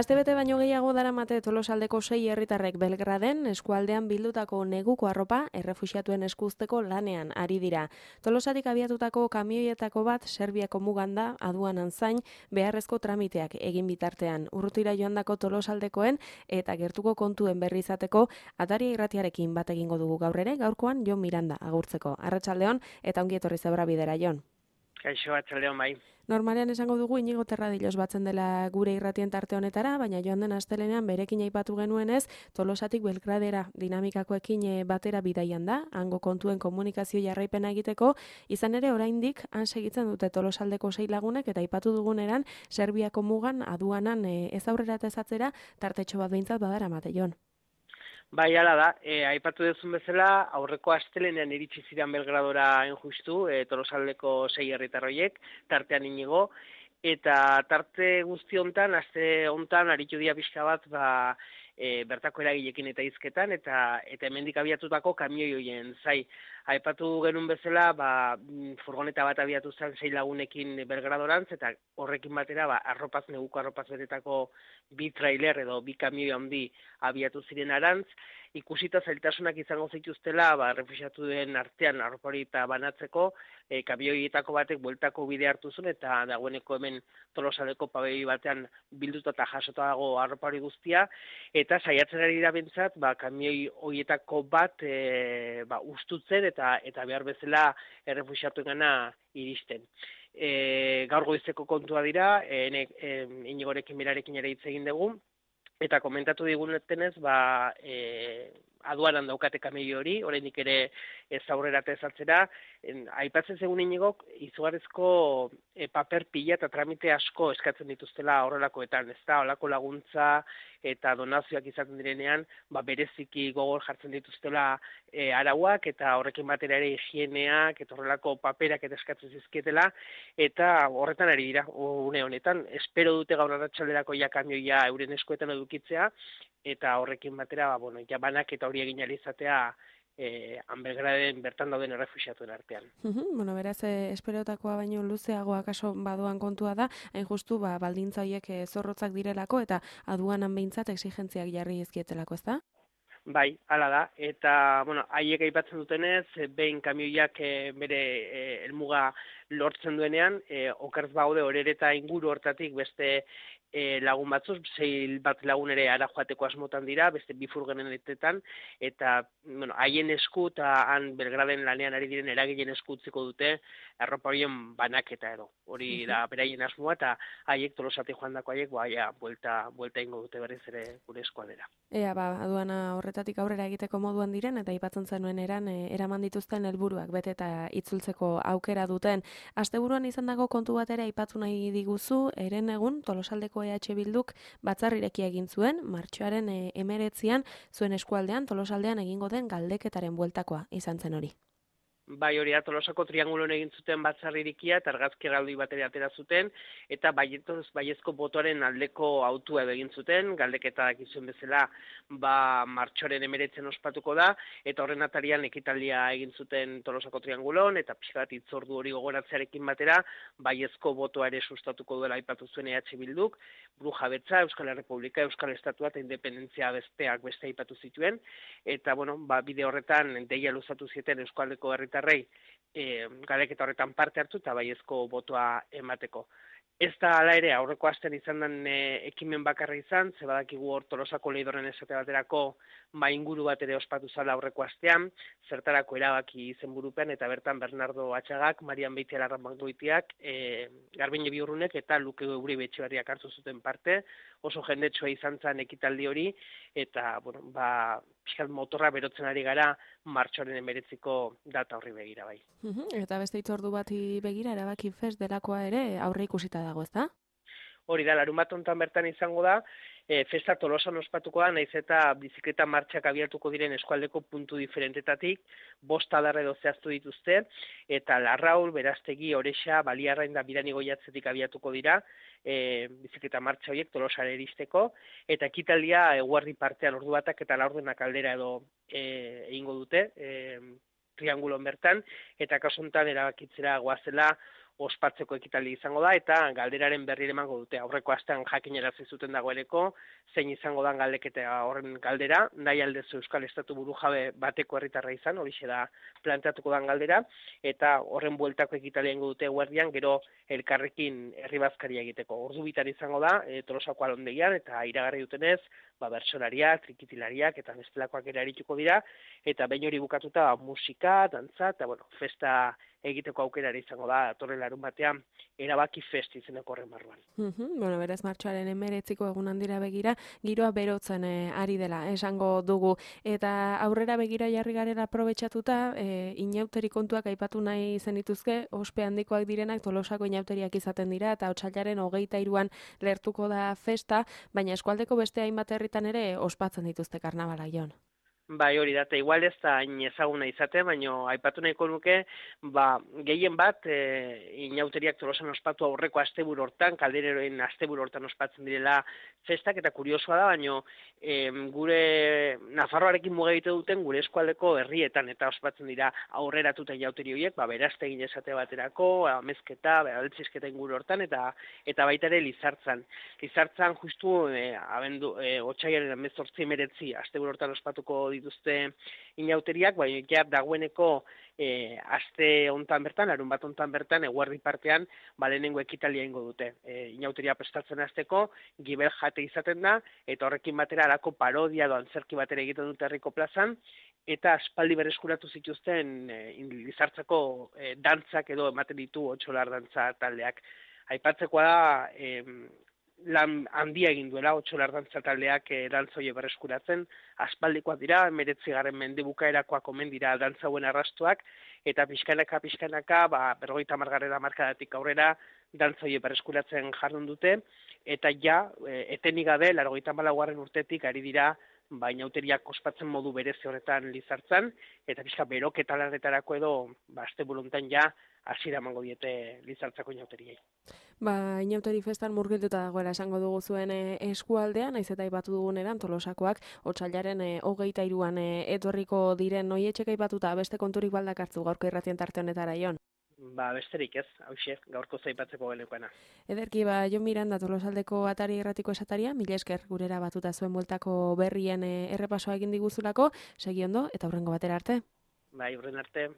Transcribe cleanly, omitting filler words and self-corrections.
Astebete baino gehiago daramate Tolosaldeko 6 herritarrek Belgraden eskualdean bildutako neguko arropa errefuxiatuen eskuzteko lanean ari dira. Tolosatik abiatutako kamioietako bat Serbiako mugan da aduanan zain beharrezko tramiteak egin bitartean. Urrutira joandako Tolosaldekoen eta gertuko kontuen berri izateko Ataria irratiarekin bat egingo dugu gaur ere, gaurkoan Jon Miranda agurtzeko. Arratsaldeon eta ongi etorri Zebrabidera, Jon. Kaixo, arratsaldeon bai. Normalean esango dugu Inigo Terradilos batzen dela gure irratien tarte honetara, baina joan den astelenean berekin aipatu genuenez, Tolosatik Belgradera dinamikakoekin batera bidaian da, hango kontuen komunikazio jarraipena egiteko, izan ere oraindik han segitzen dute Tolosaldeko 6 lagunek eta aipatu duguneran Serbiako mugan aduanan ez aurrera eta ezatzera tartetxo bat behintzat badaramate, Jon. Bai, hala da, aipatu duzun bezala, aurreko astelenean iritsi ziren Belgradora hain justu, Tolosaldeko 6 herritar horiek, tartean Inigo, eta tarte guzti hontan, aste hontan aritu dira pixka bat, bertako eragilekin eta hizketan, eta hemendik abiatutako kamioi horien zai. Aipatu genuen bezala, furgoneta bat abiatu zen 6 lagunekin Belgradorantz, eta horrekin batera, neguko arropaz betetako bi trailer edo bi kamioi handi abiatu ziren arantz, ikusita zailtasunak izango zituztela, refuxiatuen artean arropa hori eta banatzeko, kamioietako batek bueltako bide hartu zuen, eta dagoeneko hemen Tolosaldeko pabelloi batean bilduta eta jasota dago arropa hori guztia, eta saiatzen ari da bentsat, kamioi horietako bat ustutzen eta behar bezala errefuxiatuengana iristen. Gaur goizeko kontua dira, Inigorekin berarekin ere hitz egin dugu, eta komentatu digunetenez, aduanan daukate kamioi hori, oraindik ere ez aurrera eta ez atzera, aipatzen zegoen Inigok, izugarrizko paper pila eta tramite asko eskatzen dituztela horrelakoetan, ez da, horrelako laguntza eta donazioak izaten direnean, bereziki gogor jartzen dituztela arauak, eta horrekin batera ere higieneak, eta horrelako paperak eta eskatzen zizkietela, eta horretan ari dira, une honetan, espero dute gaur arratsalderako kamioia euren eskuetan edukitzea, eta horrekin batera, banak eta hori egin ahal izatea Belgraden bertan dauden errefuxiatuen artean. Beraz, esperotakoa baino luzeagoa kaso badoan kontua da, hain justu baldintza horiek zorrotzak direlako eta aduanan behintzat exigentziak jarri ezkietelako, ez da? Bai, hala da, eta haiek aipatzen dutenez, behin kamioiak bere helmuga lortzen duenean, okerz baude horereta inguru hortatik beste lagun batzuz, 6 bat lagun ere ara joateko asmotan dira, beste bi furgonetetan, eta haien esku eta han Belgraden lanean ari diren eragileen esku utziko dute arropa horien banaketa edo. Hori da beraien asmoa, eta haiek Tolosatik joandako haiek buelta ingo dute berriz ere gure eskualdera. Aduana horretatik aurrera egiteko moduan diren, eta aipatzen zenuen eraman dituzten helburuak bete eta itzultzeko aukera duten. Asteburuan izan dago kontu bat ere aipatu nahi diguzu, eren egun Tolosaldeko EH Bilduk batzar irekia egin zuen, martxoaren 19an zuen eskualdean Tolosaldean egingo den galdeketaren bueltakoa izan zen hori. Bai, hori da, Tolosako triangulon egin zuten batzar irikia, eta argazki erraldoi batera atera zuten, eta baiezko botoaren aldeko autua egin zuten, galdeketa dakizuen bezala, martxoaren 19 ospatuko da, eta horren atarian ekitaldia egin zuten Tolosako triangulon, eta pixka bat hitzordu hori gogoratzearekin batera, baiezko botoa ere sustatuko duela aipatu zuen EH Bilduk, Burujabetza, Euskal Errepublika, Euskal Estatua eta independentzia beste aipatu zituen, eta bide horretan deia luzatu zieten Euskaldeko herritarrei galdeketa horretan parte hartu eta baiezko botoa emateko. Ez da hala ere aurreko astean izan den ekimen bakarra izan, ze badakigu hor Tolosako leidorren esate baterako inguru bat ere ospatu zala aurreko astean, zertarako erabaki izenburupean, eta bertan Bernardo Atxagak, Marian Beitialarrangoitiak, Garbiñe Biurrunek eta Luke Uribe Etxebarriak hartu zuten parte, oso jendetsua izan zen ekitaldi hori, eta pixkat motorra berotzen ari gara martxoaren 19ko data horri begira bai. Eta beste hitzordu bati begira erabaki fest delakoa ere aurre ikusita dago, ez da? Hori da, larunbat hontan bertan izango da, festa Tolosan ospatuko da, nahiz eta bizikleta martxak abiatuko diren eskualdeko puntu diferentetatik, 5 adar edo zehaztu dituzte, eta Larraul, Berastegi, Orexa, Baliarrain da Biranigoiatzetik abiatuko dira, bizikleta martxa horiek Tolosara iristeko, eta ekitaldia eguerdi partean ordu batak eta laurdenak aldera edo egingo dute, triangulon bertan, eta kasu honetan erabakitzera goazela ospatzeko ekitaldi izango da, eta galderaren berri emango dute. Aurreko astean jakinarazi zuten dagoeneko, zein izango da galdeketa horren galdera, nahi aldezu Euskal Estatu burujabe bateko herritarra izan, horixe da planteatuko dan galdera, eta horren bueltako ekitaldia ingo dute eguerdian, gero elkarrekin herri bazkaria egiteko. Ordu bitar izango da, Tolosako alondegian, eta iragarri dutenez, bertsolariak, trikitilariak, eta bestelakoak ere arituko dira, eta behin hori bukatuta musika, dantza, eta festa egiteko aukera izango da, torren larun batean, erabaki fest izeneko horren barruan. Beraz, martxoaren 19 egun handira begira, giroa berotzen ari dela, esango dugu. Eta aurrera begira jarri garela aprobetxatuta, inauteri kontuak aipatu nahi zenituzke, ospe handikoak direnak Tolosako inauteriak izaten dira, eta otsailaren 23an lertuko da festa, baina eskualdeko beste hainbat herritan ere ospatzen dituzte karnabala, Jon. Bai, hori da, igual ez da hain ezaguna izate, baina aipatu nahiko nuke, gehien bat, inauteriak Tolosan ospatu aurreko asteburu hortan, kaldereroen asteburu hortan ospatzen direla festak, eta kuriosoa da, baina gure Nafarroarekin muga egite duten gure eskualdeko herrietan eta ospatzen dira aurreratuta inauteri horiek, berazte egin esate baterako, amezketa, altzizketa inguru hortan, eta baita ere Lizartzan. Lizartzan justu otsailaren 18-19 asteburu hortan ospatuko dituzte inauteriak, baina dagoeneko aste hontan bertan, larun bat hontan bertan, eguerdi partean, lehenengo ekitaldia ingo dute. Inauteria prestatzen hasteko, gibel jate izaten da, eta horrekin batera alako parodia edo antzerki batera egiten dute herriko plazan, eta aspaldi berreskuratu zituzten Lizartzako dantzak edo ematen ditu otsolar dantza taldeak. Aipatzekoa da, lan handia egin duela otsolar dantza taldeak dantzoie berreskuratzen, aspaldikoak dira, 19. mende bukaerakoak omen dira dantza hauen arrastuak, eta pixkanaka, 50. hamarkadatik aurrera dantzoie berreskuratzen jardun dute, eta etenik gabe, 84. urtetik ari dira, inauteriak ospatzen modu berezi horretan Lizartzan, eta pixka beroketa lanetarako edo, asteburu hontan hasiera emango diete Lizartzako inauteriei. Inauteri festan murgilduta dagoela esango dugu zuen eskualdean, naiz eta aipatu duguneran Tolosakoak otsailaren 23an etorriko diren noietxek aipatuta beste konturik baldakartzu gaurko irratien tarte honetara, Jon. Besterik ez, hauxe, gaurko zaipatzeko genekoena. Ederki, Jon Miranda, Tolosaldeko atari erratiko esataria, mila esker gurera batuta zuen bueltako berrien errepasoa egin diguzulako, segi ondo eta hurrengo batera arte. Hurren arte.